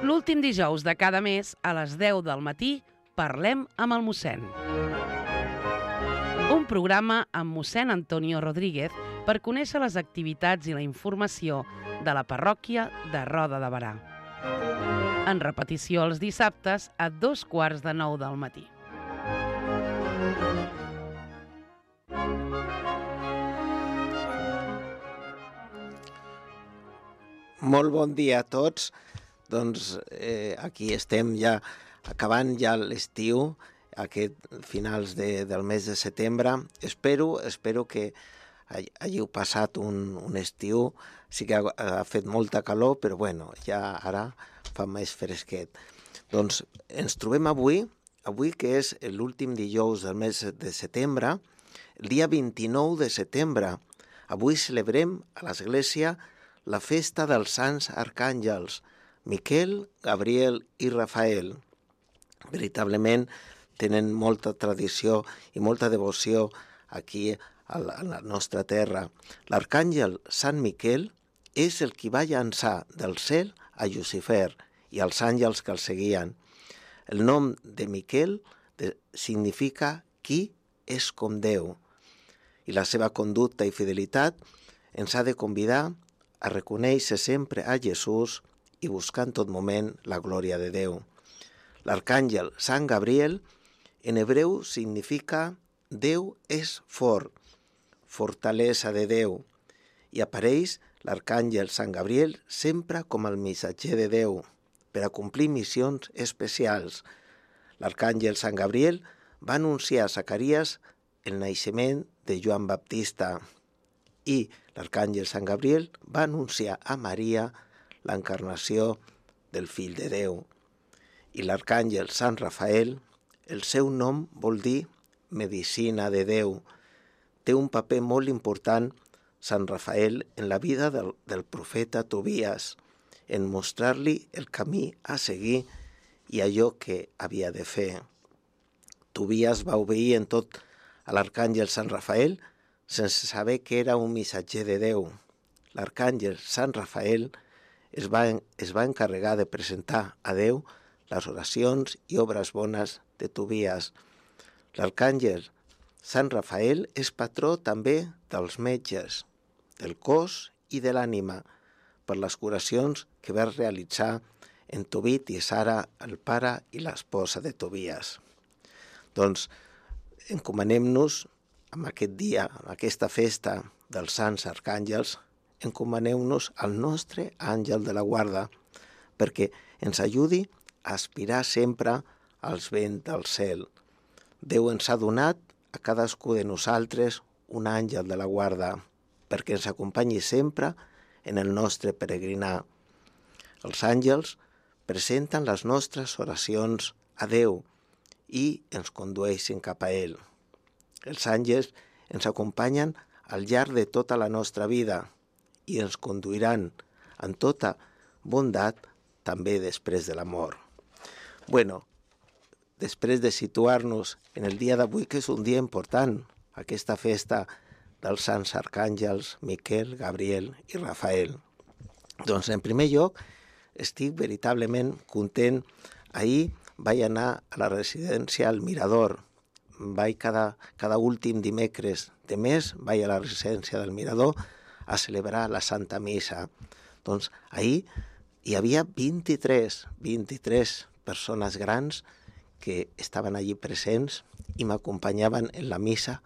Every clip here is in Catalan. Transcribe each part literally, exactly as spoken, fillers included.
L'últim dijous de cada mes, a les deu del matí, parlem amb el mossèn. Un programa amb mossèn Antonio Rodríguez per conèixer les activitats i la informació de la parròquia de Roda de Berà. En repetició els dissabtes a dos quarts de nou del matí. Molt bon dia a tots. Doncs eh, aquí estem ja acabant ja l'estiu, aquest finals de, del mes de setembre. Espero, espero que hàgiu passat un, un estiu. Sí que ha, ha fet molta calor, però bueno, ja ara fa més fresquet. Doncs ens trobem avui, avui que és l'últim dijous del mes de setembre, el dia vint-i-nou de setembre. Avui celebrem a l'Església la festa dels Sants Arcàngels, Miquel, Gabriel i Rafael. Veritablement tenen molta tradició i molta devoció aquí a la, a la nostra terra. L'arcàngel Sant Miquel és el qui va llançar del cel a Llucifer i als àngels que el seguien. El nom de Miquel de, significa qui és com Déu, i la seva conducta i fidelitat ens ha de convidar a reconèixer sempre a Jesús i buscar en tot moment la glòria de Déu. L'arcàngel Sant Gabriel en hebreu significa Déu és fort, fortalesa de Déu, i apareix l'arcàngel Sant Gabriel sempre com el missatger de Déu per a complir missions especials. L'arcàngel Sant Gabriel va anunciar a Zacaries el naixement de Joan Baptista i l'arcàngel Sant Gabriel va anunciar a Maria l'encarnació del Fill de Déu. I l'arcàngel Sant Rafael, el seu nom vol dir medicina de Déu. Té un paper molt important, Sant Rafael, en la vida del, del profeta Tobies, en mostrar-li el camí a seguir i allò que havia de fer. Tobies va obeir en tot a l'arcàngel Sant Rafael sense saber que era un missatger de Déu. L'arcàngel Sant Rafael es va, es va encarregar de presentar a Déu les oracions i obres bones de Tobies. L'arcàngel Sant Rafael és patró també dels metges, del cos i de l'ànima, per les curacions que va realitzar en Tobit i Sara, el pare i l'esposa de Tobies. Doncs encomanem-nos en aquest dia, en aquesta festa dels Sants Arcàngels, encomaneu-nos al nostre àngel de la guarda, perquè ens ajudi a aspirar sempre als vents del cel. Déu ens ha donat a cadascú de nosaltres un àngel de la guarda, perquè ens acompanyi sempre en el nostre peregrinar. Els àngels presenten les nostres oracions a Déu i ens condueixen cap a ell. Els àngels ens acompanyen al llarg de tota la nostra vida i ens conduiran en tota bondat també després de la mort. Bueno, després de situar-nos en el dia d'avui, que és un dia important, aquesta festa dels Sants Arcàngels, Miquel, Gabriel i Rafael. Doncs, en primer lloc, estic veritablement content. Ahir vaig anar a la residència al Mirador. Vaig cada, cada últim dimecres de mes, vaig a la residència del Mirador a celebrar la Santa Missa. Doncs ahir hi havia vint-i-tres, vint-i-tres persones grans que estaven allí presents i m'acompanyaven en la missa,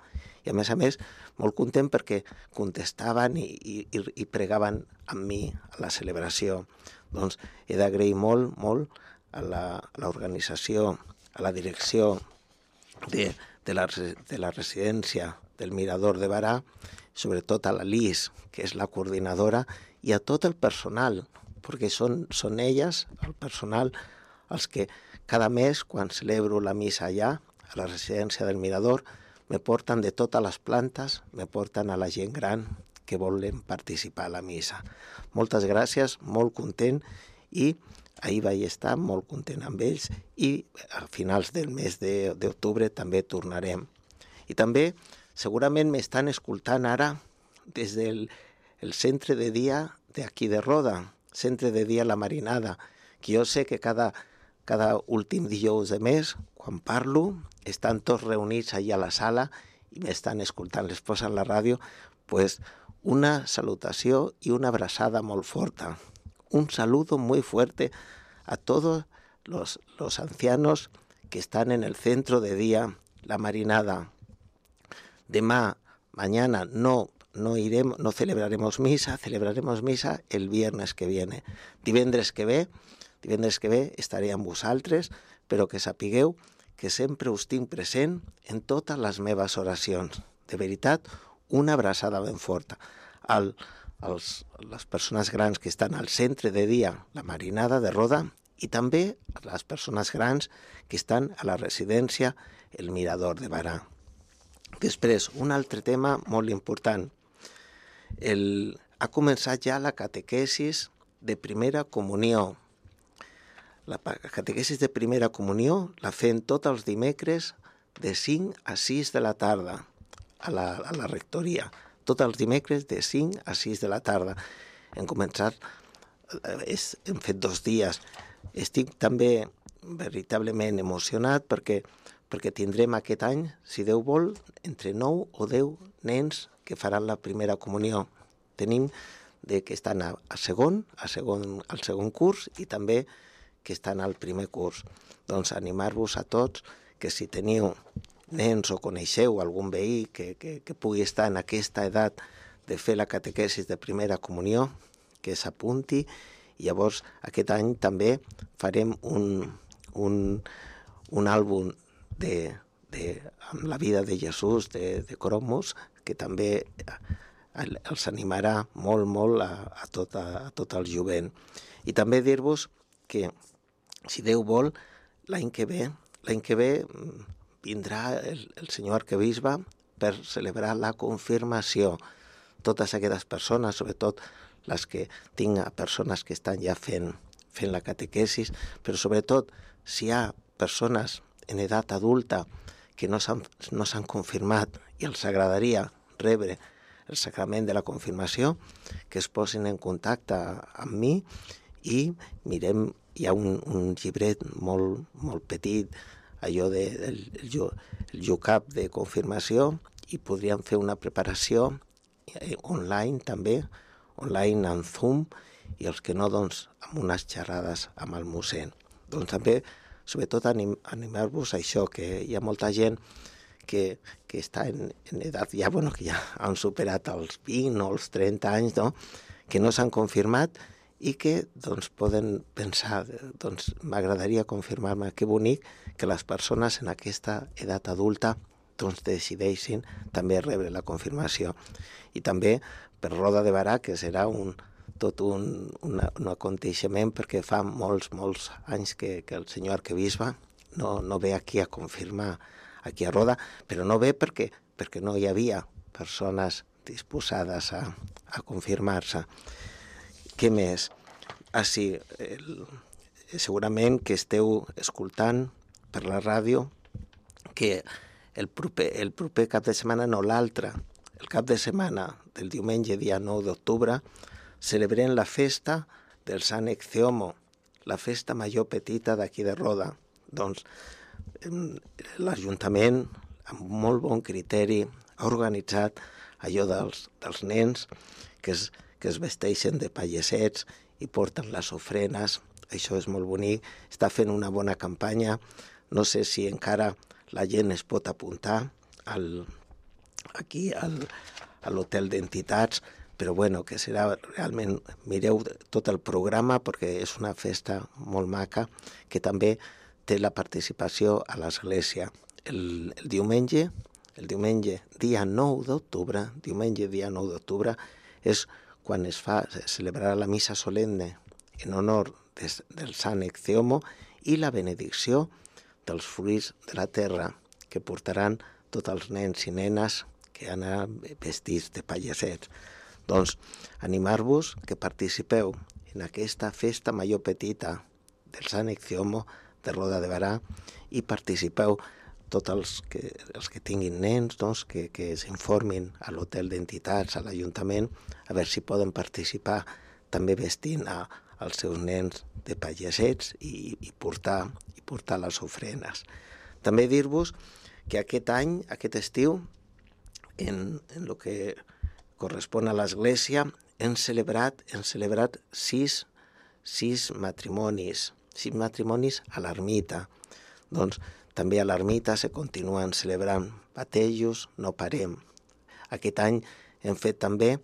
i a més a més molt content perquè contestaven i, i, i pregaven amb mi a la celebració. Doncs he d'agrair molt, molt a l'organització, a la direcció de, de, la, de la residència del Mirador de Berà, sobretot a la Lis, que és la coordinadora, i a tot el personal, perquè són, són elles, el personal, els que cada mes, quan celebro la missa allà, a la residència del Mirador, me porten de totes les plantes, me porten a la gent gran que volen participar a la missa. Moltes gràcies, molt content, i ahir vaig estar molt content amb ells, i a finals del mes d'octubre també tornarem. I també segurament m'estan escoltant ara des del el centre de dia d'aquí de Roda. centre de dia La Marinada, que jo sé que cada, cada últim dijous de mes, quan parlo, estan tots reunits allà a la sala i m'estan escoltant, les posen la ràdio, pues una salutació y una abrazada muy fuerte. Un saludo muy fuerte a todos los, los ancianos que están en el centro de día La Marinada. Demà, mañana, no, no iremos, no celebraremos misa, celebraremos misa el viernes que viene. Divendres que ve, divendres que ve estaré amb vosaltres, però que sapigueu que sempre us tinc present en totes les meves oracions. De veritat, una abraçada ben forta. Al, als, les persones grans que estan al centre de dia La Marinada de Roda i també a les persones grans que estan a la residència El Mirador de Barà. Després, un altre tema molt important. El, ha començat ja la catequesis de primera comunió. La catequesis de primera comunió la fem tots els dimecres de cinc a sis de la tarda a la, a la rectoria. Tots els dimecres de cinc a sis de la tarda. Hem començat, és, hem fet dos dies. Estic també veritablement emocionat perquè, perquè tindrem aquest any, si Déu vol, entre nou o deu nens que faran la primera comunió. Tenim de que estan a, a segon, a segon, al segon curs i també que estan al primer curs. Doncs animar-vos a tots que si teniu nens o coneixeu algun veí que, que, que pugui estar en aquesta edat de fer la catequesis de primera comunió, que s'apunti. I llavors aquest any també farem un, un, un àlbum de, de, amb la vida de Jesús, de, de cromos, que també els animarà molt, molt a, a, tot, a, a tot el jovent. I també dir-vos que, si Déu vol, l'any que ve, l'any que ve vindrà el, el senyor arquebisbe per celebrar la confirmació. Totes aquestes persones, sobretot les que tinc persones que estan ja fent, fent la catequesis, però sobretot si hi ha persones en edat adulta que no s'han no s'han confirmat i els agradaria rebre el sacrament de la confirmació, que es posin en contacte amb mi i mirem, hi ha un, un llibret molt, molt petit, allò de, del el, el jucap de confirmació, i podríem fer una preparació eh, online també, online en Zoom, i els que no, doncs, amb unes xerrades amb el mossèn. Doncs també, sobretot, anim, animar-vos a això, que hi ha molta gent que, que està en, en edat, ja, bueno, que ja han superat els vint o els trenta anys, no?, que no s'han confirmat i que, doncs, poden pensar, doncs, m'agradaria confirmar-me, que bonic que les persones en aquesta edat adulta, doncs, decideixin també rebre la confirmació. I també per Roda de Barà, que serà un, tot un, una, un aconteixement, perquè fa molts, molts anys que, que el senyor arquebisbe no, no ve aquí a confirmar aquí a Roda, però no ve perquè, perquè no hi havia persones disposades a, a confirmar-se. Què més? Ah, sí, el, segurament que esteu escoltant per la ràdio que el proper, el proper cap de setmana, no l'altre, el cap de setmana del diumenge, dia nou d'octubre, celebrem la festa del Sant Ecceomo, la festa major petita d'aquí de Roda. Doncs l'Ajuntament, amb molt bon criteri, ha organitzat allò dels, dels nens que es, que es vesteixen de pallesets i porten les ofrenes. Això és molt bonic. Està fent una bona campanya. No sé si encara la gent es pot apuntar al, aquí al, a l'hotel d'entitats, però bueno, que serà realment, mireu tot el programa perquè és una festa molt maca que també té la participació a l'església. El, el diumenge, el diumenge dia nou d'octubre, diumenge dia nou d'octubre, és quan es fa, es celebrarà la missa solemne en honor des, del Sant Ecceomo i la benedicció dels fruits de la terra que portaran tots els nens i nenes que anaran vestits de pallesets. Doncs animar-vos que participeu en aquesta festa major petita del Sant Ecceomo de Roda de Barà i participeu tots els que, els que tinguin nens, doncs, que, que s'informin a l'hotel d'entitats, a l'Ajuntament, a veure si poden participar també vestint a, els seus nens de pagesets i, i, portar, i portar les ofrenes. També dir-vos que aquest any, aquest estiu, en, en el que correspon a l'Església, hem celebrat, hem celebrat sis, sis matrimonis, sis matrimonis a l'ermita. Doncs també a l'ermita se continuen celebrant batejos, no parem. Aquest any hem fet també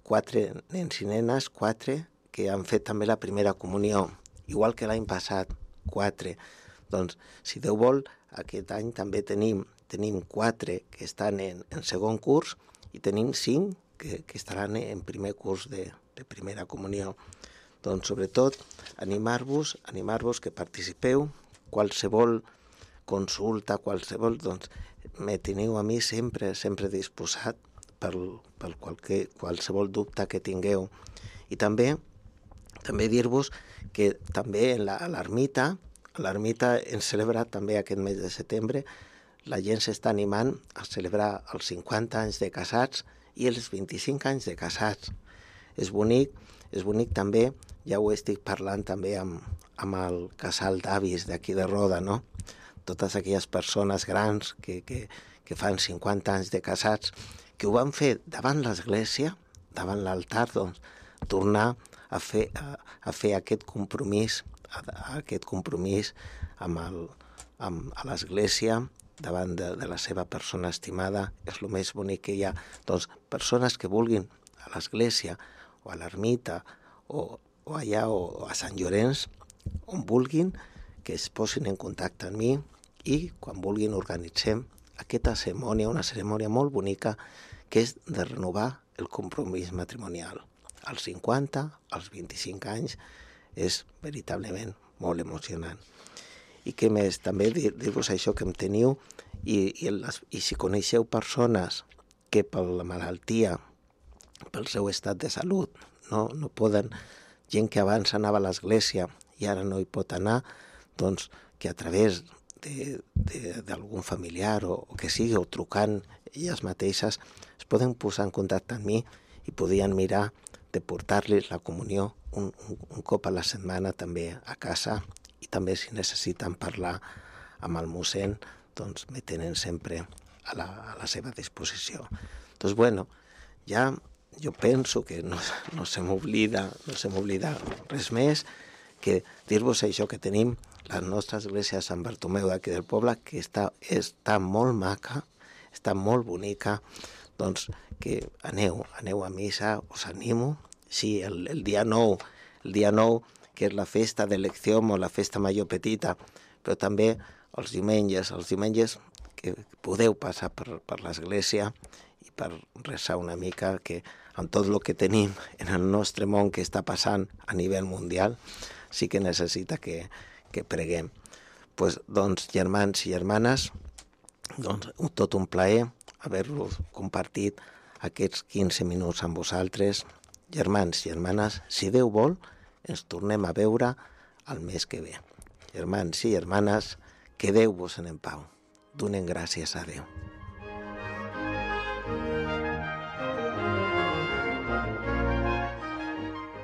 quatre nens i nenes, quatre, que han fet també la primera comunió, igual que l'any passat, quatre. Doncs, si Déu vol, aquest any també tenim, tenim quatre que estan en, en segon curs i tenim cinc que, que estaran en primer curs de, de primera comunió. Doncs, sobretot, animar-vos, animar-vos que participeu, qualsevol consulta, qualsevol, doncs, me teniu a mi sempre, sempre disposat per, per qualque, qualsevol dubte que tingueu. I també, també dir-vos que també en la, a l'ermita, a l'ermita hem celebrat també aquest mes de setembre, la gent s'està animant a celebrar els cinquanta anys de casats i els vint-i-cinc anys de casats. És bonic, és bonic també, ja ho estic parlant també amb, amb el casal d'avis d'aquí de Roda, no? Totes aquelles persones grans que, que, que fan cinquanta anys de casats, que ho van fer davant l'església, davant l'altar, doncs, tornar a fer, a, a fer aquest compromís, a, a aquest compromís amb, el, amb a l'església, davant de, de la seva persona estimada, és el més bonic que hi ha. Doncs persones que vulguin a l'església o a l'ermita o, o allà o, o a Sant Llorenç, on vulguin, que es posin en contacte amb mi i quan vulguin organitzem aquesta cerimònia, una cerimònia molt bonica que és de renovar el compromís matrimonial. Als cinquanta, als vint-i-cinc anys, és veritablement molt emocionant. I què més? També dir-vos això que em teniu i, i, les, i si coneixeu persones que per la malaltia, pel seu estat de salut, no, no poden, gent que abans anava a l'església i ara no hi pot anar, doncs que a través d'algun familiar o, o que sigui, o trucant elles mateixes, es poden posar en contacte amb mi i podien mirar de portar-los la comunió un, un, un cop a la setmana també a casa i també si necessiten parlar amb el mossèn, doncs me tenen sempre a la, a la seva disposició. Doncs bueno, ja jo penso que no, no se m'oblida, no se m'oblida res més que dir-vos això que tenim la nostra església de Sant Bartomeu d'aquí del poble, que està, està molt maca, està molt bonica, doncs que aneu, aneu a missa, us animo. Sí, el, el dia nou, el dia nou, que és la festa d'elecció o la festa major petita, però també els diumenges, els diumenges que podeu passar per, per l'església i per resar una mica, que amb tot el que tenim en el nostre món que està passant a nivell mundial, sí que necessita que, que preguem. Pues, doncs, germans i germanes, doncs, tot un plaer haver-vos compartit aquests quinze minuts amb vosaltres. Germans i germanes, si Déu vol, ens tornem a veure el mes que ve. Germans i germanes, quedeu-vos en pau. Donem gràcies a Déu.